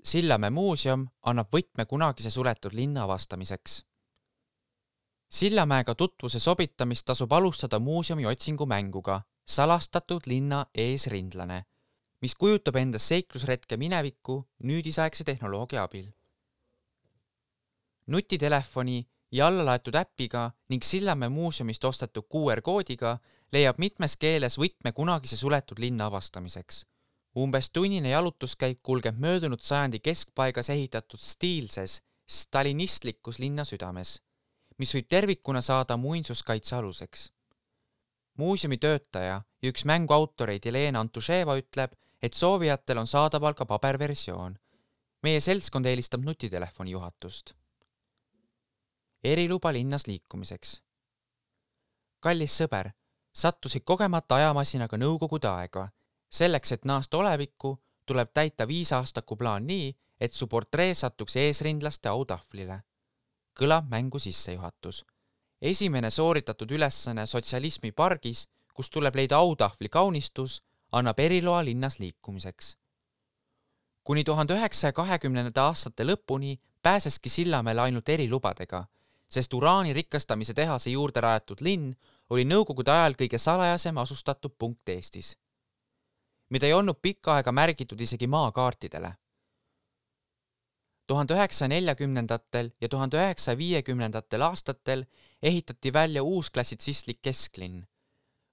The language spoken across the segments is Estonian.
Sillamäe muuseum annab võtme kunagise suletud linna avastamiseks. Sillamäega tutvuse sobitamist tasub alustada muuseumi otsingumänguga Salastatud linna eesrindlane, mis kujutab endast seiklusretke minevikku nüüdisaegse tehnoloogia abil. Nutitelefoni ja allalaetud äppiga ning Sillamäe muuseumist ostetud QR-koodiga leiab mitmes keeles võtme kunagise suletud linna avastamiseks. Umbes tunnine jalutuskäik kulgeb möödunud sajandi keskpaigas ehitatud stiilses, stalinistlikus linna südames, mis võib tervikuna saada muinsuskaitse aluseks. Muuseumi töötaja ja üks mängu autoreid Jelena Antuševa ütleb, et soovijatel on saadaval ka paberversioon. Meie seltskond eelistab nutitelefoni juhatust. Eriluba linnas liikumiseks. Kallis sõber, sattusid kogemata ajamasinaga nõukogude aega. Selleks, et naasta olevikku, tuleb täita 5-aastaku plaan nii, et su portree satuks eesrindlaste autahvlile. Kõlab mängu sissejuhatus. Esimene sooritatud ülesanne sotsialismi pargis, kus tuleb leida autahvli kaunistus, annab eriloa linnas liikumiseks. Kuni 1920. aastate lõpuni pääseski Sillamäele ainult erilubadega, sest uraani rikastamise tehase juurde rajatud linn oli nõukogude ajal kõige salajasem asustatud punkt Eestis, mida ei olnud pikka aega märgitud isegi maakaartidele. 1940. ja 1950. aastatel ehitati välja uus klassitsistlik kesklinn.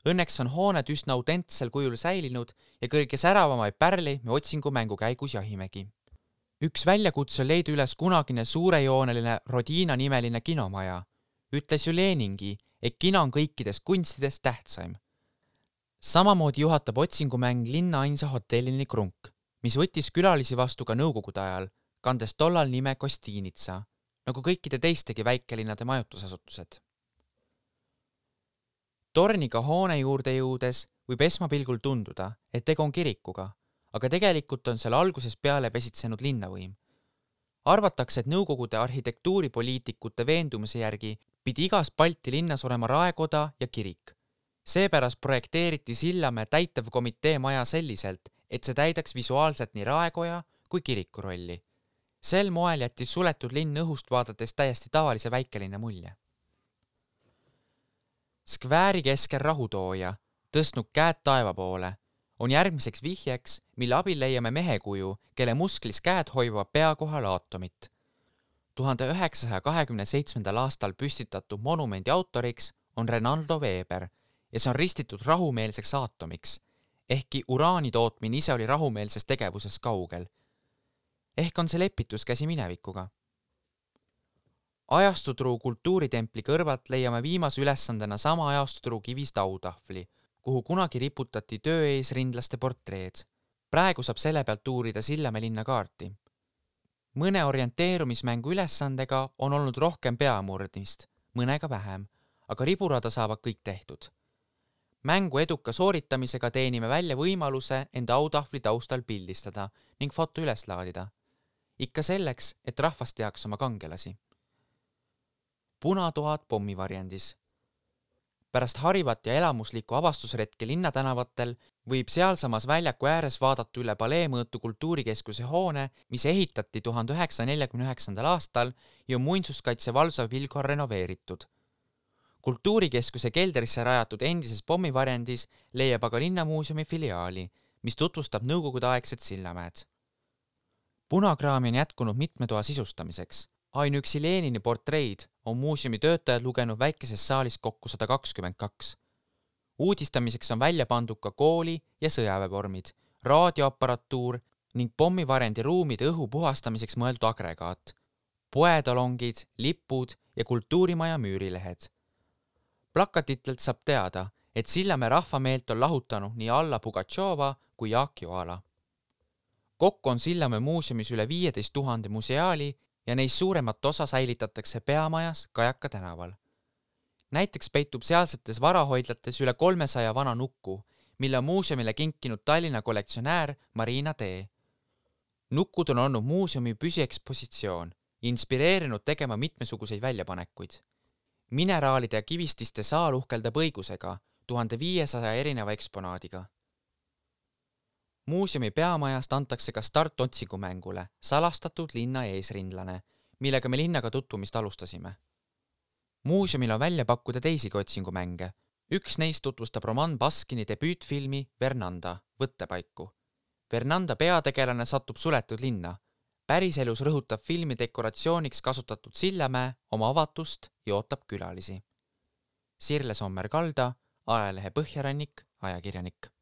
Õnneks on hooned üsna autentsel kujul säilinud ja kõige säravamaid pärleid me otsingumängu käigus jahimegi. Üks väljakutse leida üles kunagine suurejooneline Rodina nimeline kinomaja. Ütles ju Leningi, et kino on kõikidest kunstidest tähtsaim. Samamoodi juhatab otsingumäng linna ainsa hotellini Krunk, mis võttis külalisi vastu ka nõukogude ajal, kandes tollal nime Kostiinitsa, nagu kõikide teistegi väikelinnade majutusasutused. Torniga hoone juurde jõudes võib esmapilgul tunduda, et tegu on kirikuga, aga tegelikult on seal algusest peale pesitsenud linnavõim. Arvatakse, et nõukogude arhitektuuripoliitikute veendumuse järgi pidi igas Balti linnas olema raekoda ja kirik. Seepärast projekteeriti Sillamäe täitevkomitee maja selliselt, et see täidaks visuaalselt nii raekoja kui kiriku rolli. Sel moel jättis suletud linn õhust vaadates täiesti tavalise väikelinna mulje. Skvääri keskel rahutooja, tõstnud käed taeva poole, on järgmiseks vihjeks, mille abil leiame mehekuju, kelle musklis käed hoivad pea kohal aatomit. 1927. aastal püstitatud monumendi autoriks on Renaldo Weber ja see on ristitud rahumeelseks aatomiks, ehkki uraani tootmine ise oli rahumeelses tegevuses kaugel. Ehk on see lepituskäsi minevikuga. Ajastutruu kultuuritempli kõrvalt leiame viimase ülesandena sama ajastutruu kivist autahvli, kuhu kunagi riputati töö eesrindlaste portreed. Praegu saab selle pealt uurida Sillamäe linna kaarti. Mõne orienteerumismängu ülesandega on olnud rohkem peamurdmist, mõnega vähem, aga riburada saavad kõik tehtud. Mängu eduka sooritamisega teenime välja võimaluse enda autahvli taustal pildistada ning foto üles laadida. Ikka selleks, et rahvas teaks oma kangelasi. Punatoad pommivarjendis. Pärast harivat ja elamuslikku avastusretke linnatänavatel võib sealsamas väljaku ääres vaadata üle Paleemõõtu kultuurikeskuse hoone, mis ehitati 1949. aastal ja on muinsuskaitse valvsa pilgu renoveeritud. Kultuurikeskuse keldrisse rajatud endises pommivarjendis leiab aga linnamuuseumi filiaali, mis tutvustab nõukogudeaegset Sillamäed. Punakraami on jätkunud mitme toa sisustamiseks. Ainuüksi Lenini portreid on muuseumi töötajad lugenud väikeses saalis kokku 122. Uudistamiseks on välja pandud ka kooli- ja sõjaväevormid, raadioaparatuur ning pommivarendi ruumide õhu puhastamiseks mõeldud agregaat, poetalongid, lipud ja kultuurimaja müürilehed. Plakatitelt saab teada, et Sillamäe rahvameelt on lahutanud nii Alla Pugatšova kui Jaak Joala. Kokku on Sillamäe muuseumis üle 15 000 museaali ja neist suuremat osa säilitatakse peamajas Kajaka tänaval. Näiteks peitub sealsetes varahoidlates üle 300 vana nukku, mille on muuseumile kinkinud Tallinna kollektsionäär Marina Tee. Nukkud on olnud muuseumi püsiekspositsioon, inspireerinud tegema mitmesuguseid väljapanekuid. Mineraalide ja kivististe saal uhkeldab õigusega 1500 erineva eksponaadiga. Muuseumi peamajast antakse ka start otsingumängule Salastatud linna eesrindlane, millega me linnaga tutvumist alustasime. Muuseumil on välja pakkuda teisigi otsingumänge. Üks neist tutvustab Roman Baskini debüütfilmi Vernanda, võttepaiku. Vernanda peategelane satub suletud linna. Päriselus rõhutab filmi dekoratsiooniks kasutatud Sillamäe oma avatust ja ootab külalisi. Sirle Sommer-Kalda, ajalehe Põhjarannik, ajakirjanik.